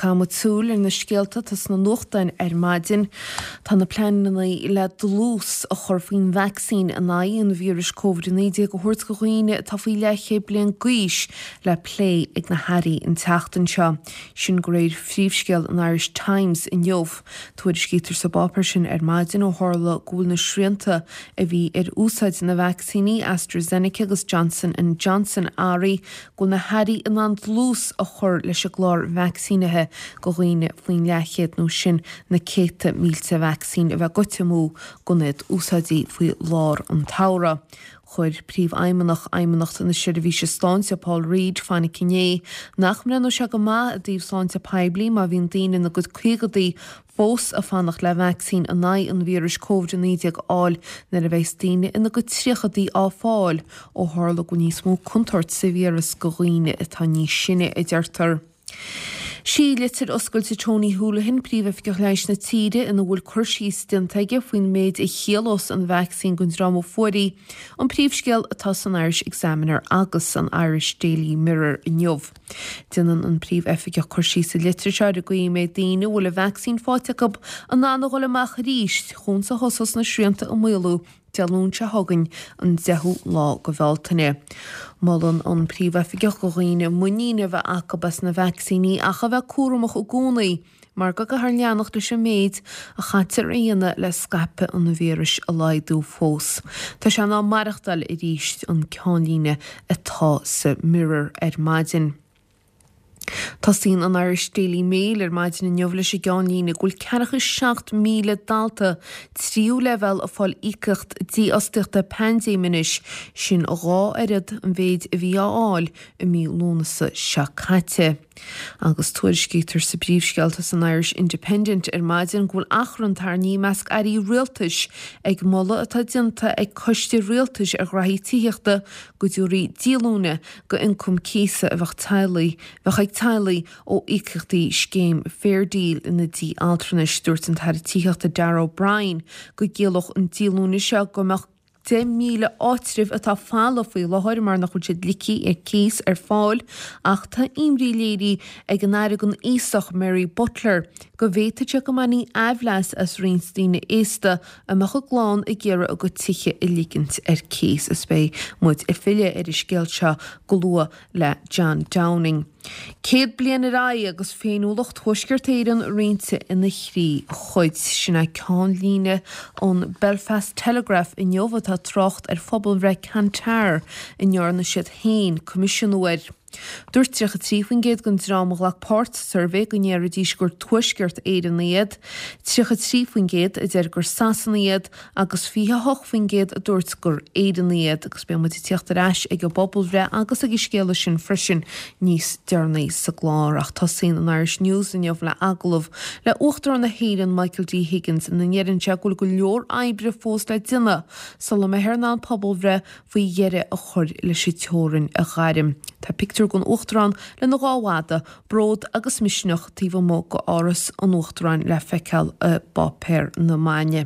Caithfidh muid súil ar na scéalta atá sna nuachtáin ar maidin. Tá na pleananna le dlús a chur faoin vacsaín in aghaidh an víris Covid-19 a thabhairt do dhaoine atá faoi leathchéad bliain d'aois le plé ag na hairí an tseachtain seo. Sin de réir phríomhscéal an Irish Times inniu. Tuairiscítear sa bpáipéar sin ar maidin ó tharla go bhfuil na srianta a bhí ar úsáid na vacsaíní AstraZeneca agus Johnson and Johnson athraithe go bhfuil na hairí in ann dlús a chur leis an gclár vacsaínithe do dhaoine faoin leathchéad nó sin na céadta mílte vacsaín a bheith goite amú gan iad úsáidte faoi lár an tsamhraidh. Chuir Príomhfheidhmeannach Fheidhmeannacht na Seirbhíse Sláinte, Paul Reid, fainic inné nach mbreathnódh sé go maith i dtaobh sláinte poiblí má bhíonn daoine ina gcuid caogadaí fós ag fanacht le vacsaín in aghaidh an víris Covid-19 a fháil nuair a bheas daoine ina gcuid tríochadaí á fáil, ó tharla go bhfuil níos mó contúirt sa víreas do dhaoine atá níos sine, a deirtear. Sí litir oscailte Tony Holohan, Príomhoifigeach Leighis na tíre, ina bhfuil cur síos déanta aige faoin méid a chiallós an vacsaín don dream a fuair í, an príomhscéal atá san Irish Examiner agus san Irish Daily Mirror inniu. Déanann an Príomh-Oifigeach cur síos sa litir seo ar an gcaoi a mbeidh daoine a bhfuil an vacsaín faighte acu in ann a dhul amach arís chúns a thosós na srianta ag maolú Dé Luain seo chugainn, an 10ú lá de Bhealtaine. Molann an Príomh-Oifigeach do dhaoine muinín a bheith acu as na vacsaíní ach a bheith cúramach i gcónaí mar go gcaithfear leanacht leis an méid a chaitear a dhéanamh le scaipeadh an víris a laghdú fós. Tá sé in am maireachtáil arís an ceannlíne atá sa Mirror ar maidin. Tosaíonn an Irish Daily Mail ar maidin inniu leis an gceannlíne go bhfuil ceathracha 7,000 dalta tríú leibhéal ag fáil íocaíocht dífhostaíochta paindéime anois, sin a dhá oiread an mhéid a bhí á fháil i mí Lúnasa seo caite. Agus tuairiscítear sa bpríomhscéal atá san Irish Independent ar maidin go bhfuil achrann tarraingthe i measc airí rialtais ag moladh atá déanta ag coiste rialtais ar ghraithí tithíochta go dtabharfaí díolúine d'ioncam cíosa a bheadh teaghlaigh bheadh ag teaghlaigh ó íocaíochtaí scéim Fair Deal ina dtí altranais. Dúirt an tAire Tithíochta Darragh O'Brien go gciallódh an díolúine seo go mbeadh 10,000 áitreabh atá folamh faoi láthair mar nach bhfuil siad ligthe ar cíos ar fáil ach tá imní léirithe ag an Aire don Aosach Mary Butler go bhféadfadh sé go mbainfí aimhleas as roinnt daoine aosta a mbeadh a gclann ag iarraidh a gcuid tithe a ligint ar cíos is beidh muid ag filleadh ar an scéal seo go luath le John Downing. 100 bliain ar aghaidh agus féiniúlacht Thuaisceart Éireann roinnte ina thrí chuid. Sin é ceannlíne an Belfast Telegraph inniu atá ag trácht ar phobalbhreith Kantar a ndearna siad féin coimisiúnú air. Dúirt 33% den dream a ghlac páirt sa suirbhé go ndéarfaidís gur Tuaisceart Éireannaigh iad, 33% a deir gur Sasanaigh iad agus 28% a dúirt gur Éireannaigh iad agus beidh muid ag tíocht ar ais ag an bpobalbhreith agus ag an scéala sin freisin níos deireanaí sa gclár. Ach tosaíonn an Irish News inniu le agallamh le Uachtarán na hÉireann Michael D Higgins ina ndeireann sé go bhfuil go leor oibre fós le déanamh sula mbeifear in ann pobalbhreith faoi dheireadh a chur leis an teorainn a ghairm. Tá pictiúr den Uachtarán lena dhá mhadadh, Bród agus Misneach taobh amuigh d'Áras an Uachtaráin le feiceáil i bPáipéar na Maidine.